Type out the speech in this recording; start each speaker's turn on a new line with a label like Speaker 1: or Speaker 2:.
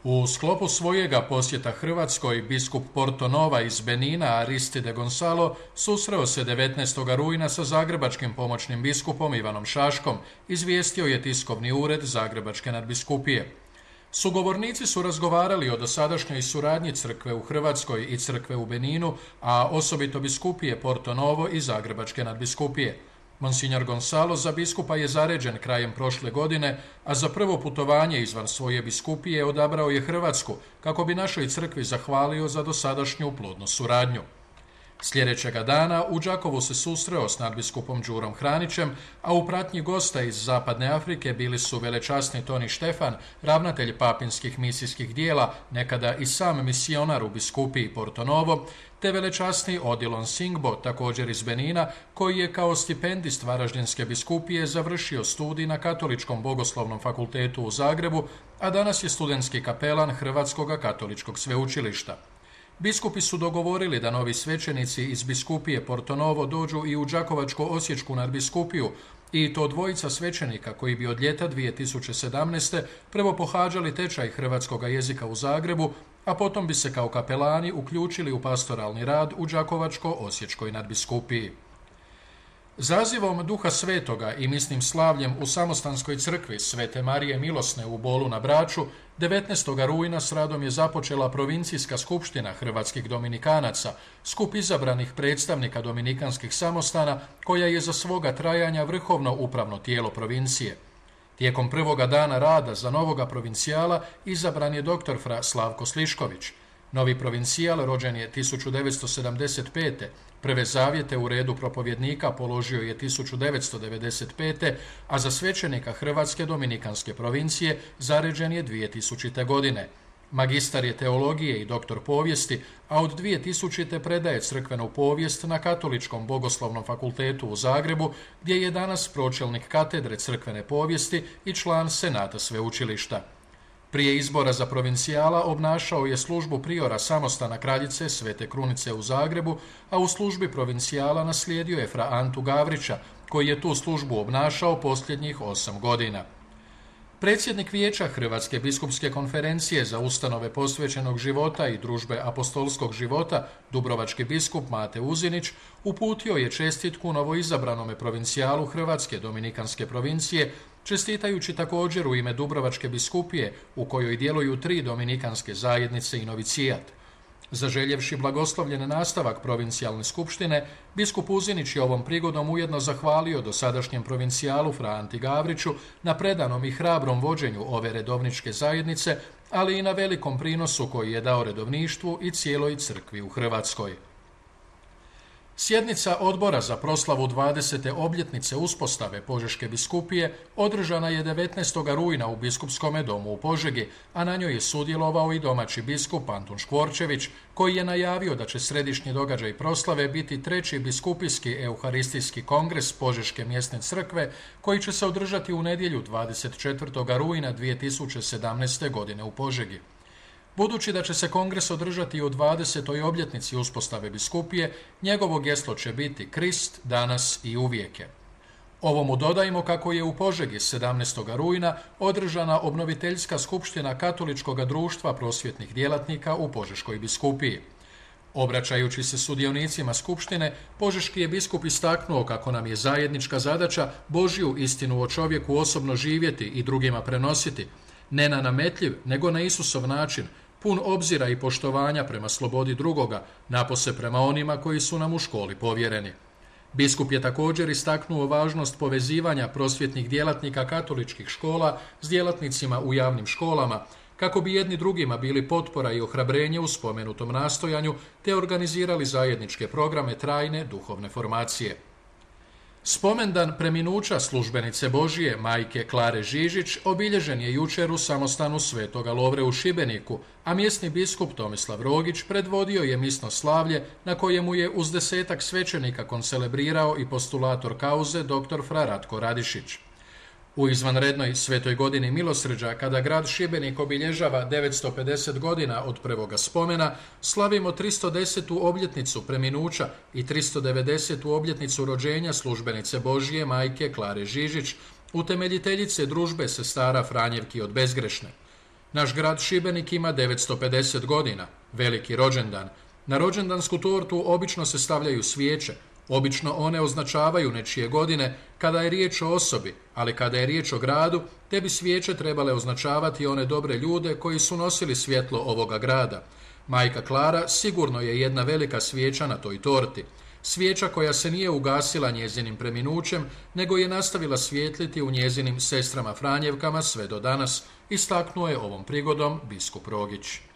Speaker 1: U sklopu svojega posjeta Hrvatskoj, biskup Porto-Nova iz Benina Aristide Gonzalo susreo se 19. rujna sa zagrebačkim pomoćnim biskupom Ivanom Šaškom, izvijestio je tiskovni ured Zagrebačke nadbiskupije. Sugovornici su razgovarali o dosadašnjoj suradnji crkve u Hrvatskoj i crkve u Beninu, a osobito biskupije Porto-Novo i Zagrebačke nadbiskupije. Monsignor Gonzalo za biskupa je zaređen krajem prošle godine, a za prvo putovanje izvan svoje biskupije odabrao je Hrvatsku, kako bi našoj crkvi zahvalio za dosadašnju plodnu suradnju. Sljedećega dana u Đakovu se susreo s nadbiskupom Đurom Hranićem, a u pratnji gosta iz Zapadne Afrike bili su velečasni Toni Štefan, ravnatelj papinskih misijskih dijela, nekada i sam misionar u biskupiji Porto-Novo, te velečasni Odilon Singbo, također iz Benina, koji je kao stipendist Varaždinske biskupije završio studij na Katoličkom bogoslovnom fakultetu u Zagrebu, a danas je studentski kapelan Hrvatskog katoličkog sveučilišta. Biskupi su dogovorili da novi svećenici iz biskupije Porto-Novo dođu i u Đakovačko-osječku nadbiskupiju, i to dvojica svećenika koji bi od ljeta 2017. prvo pohađali tečaj hrvatskog jezika u Zagrebu, a potom bi se kao kapelani uključili u pastoralni rad u Đakovačko-osječkoj nadbiskupiji. Zazivom Duha Svetoga i misnim slavljem u Samostanskoj crkvi Svete Marije Milosne u Bolu na Braču, 19. rujna s radom je započela provincijska skupština hrvatskih dominikanaca, skup izabranih predstavnika dominikanskih samostana, koja je za svoga trajanja vrhovno upravno tijelo provincije. Tijekom prvoga dana rada za novoga provincijala izabran je dr. fra Slavko Slišković. Novi provincijal rođen je 1975. Prve zavjete u redu propovjednika položio je 1995. a za svećenika Hrvatske dominikanske provincije zaređen je 2000. godine. Magistar je teologije i doktor povijesti, a od 2000. predaje crkvenu povijest na Katoličkom bogoslovnom fakultetu u Zagrebu, gdje je danas pročelnik katedre crkvene povijesti i član senata sveučilišta. Prije izbora za provincijala obnašao je službu priora samostana Kraljice Svete Krunice u Zagrebu, a u službi provincijala naslijedio je fra Antu Gavrića, koji je tu službu obnašao posljednjih 8 godina. Predsjednik Vijeća Hrvatske biskupske konferencije za ustanove posvećenog života i družbe apostolskog života, dubrovački biskup Mate Uzinić, uputio je čestitku novoizabranome provincijalu Hrvatske dominikanske provincije, čestitajući također u ime Dubrovačke biskupije, u kojoj djeluju 3 dominikanske zajednice i novicijat. Zaželjevši blagoslovljen nastavak provincijalne skupštine, biskup Uzinić je ovom prigodom ujedno zahvalio dosadašnjem provincijalu fra Anti Gavriću na predanom i hrabrom vođenju ove redovničke zajednice, ali i na velikom prinosu koji je dao redovništvu i cijeloj crkvi u Hrvatskoj. Sjednica Odbora za proslavu 20. obljetnice uspostave Požeške biskupije održana je 19. rujna u Biskupskome domu u Požegi, a na njoj je sudjelovao i domaći biskup Antun Škvorčević, koji je najavio da će središnji događaj proslave biti 3. biskupijski euharistijski kongres Požeške mjesne crkve, koji će se održati u nedjelju 24. rujna 2017. godine u Požegi. Budući da će se kongres održati u 20. obljetnici uspostave biskupije, njegovo geslo će biti Krist, danas i uvijeke. Ovomu dodajmo kako je u Požegi 17. rujna održana obnoviteljska skupština Katoličkog društva prosvjetnih djelatnika u Požeškoj biskupiji. Obraćajući se sudionicima skupštine, požeški je biskup istaknuo kako nam je zajednička zadaća Božju istinu o čovjeku osobno živjeti i drugima prenositi, ne na nametljiv, nego na Isusov način, pun obzira i poštovanja prema slobodi drugoga, napose prema onima koji su nam u školi povjereni. Biskup je također istaknuo važnost povezivanja prosvjetnih djelatnika katoličkih škola s djelatnicima u javnim školama, kako bi jedni drugima bili potpora i ohrabrenje u spomenutom nastojanju, te organizirali zajedničke programe trajne duhovne formacije. Spomendan preminuća službenice Božije, majke Klare Žižić, obilježen je jučer u samostanu Svetoga Lovre u Šibeniku, a mjesni biskup Tomislav Rogić predvodio je misno slavlje na kojemu je uz 10-ak svećenika koncelebrirao i postulator kauze dr. fra Ratko Radišić. U izvanrednoj svetoj godini milosrđa, kada grad Šibenik obilježava 950 godina od prvoga spomena, slavimo 310. obljetnicu preminuća i 390. obljetnicu rođenja službenice Božije majke Klare Žižić, utemeljiteljice družbe sestara Franjevki od Bezgrešne. Naš grad Šibenik ima 950 godina, veliki rođendan. Na rođendansku tortu obično se stavljaju svijeće. Obično one označavaju nečije godine kada je riječ o osobi, ali kada je riječ o gradu, te bi svijeće trebale označavati one dobre ljude koji su nosili svjetlo ovoga grada. Majka Klara sigurno je jedna velika svijeća na toj torti. Svijeća koja se nije ugasila njezinim preminućem, nego je nastavila svijetliti u njezinim sestrama Franjevkama sve do danas, istaknuo je ovom prigodom biskup Rogić.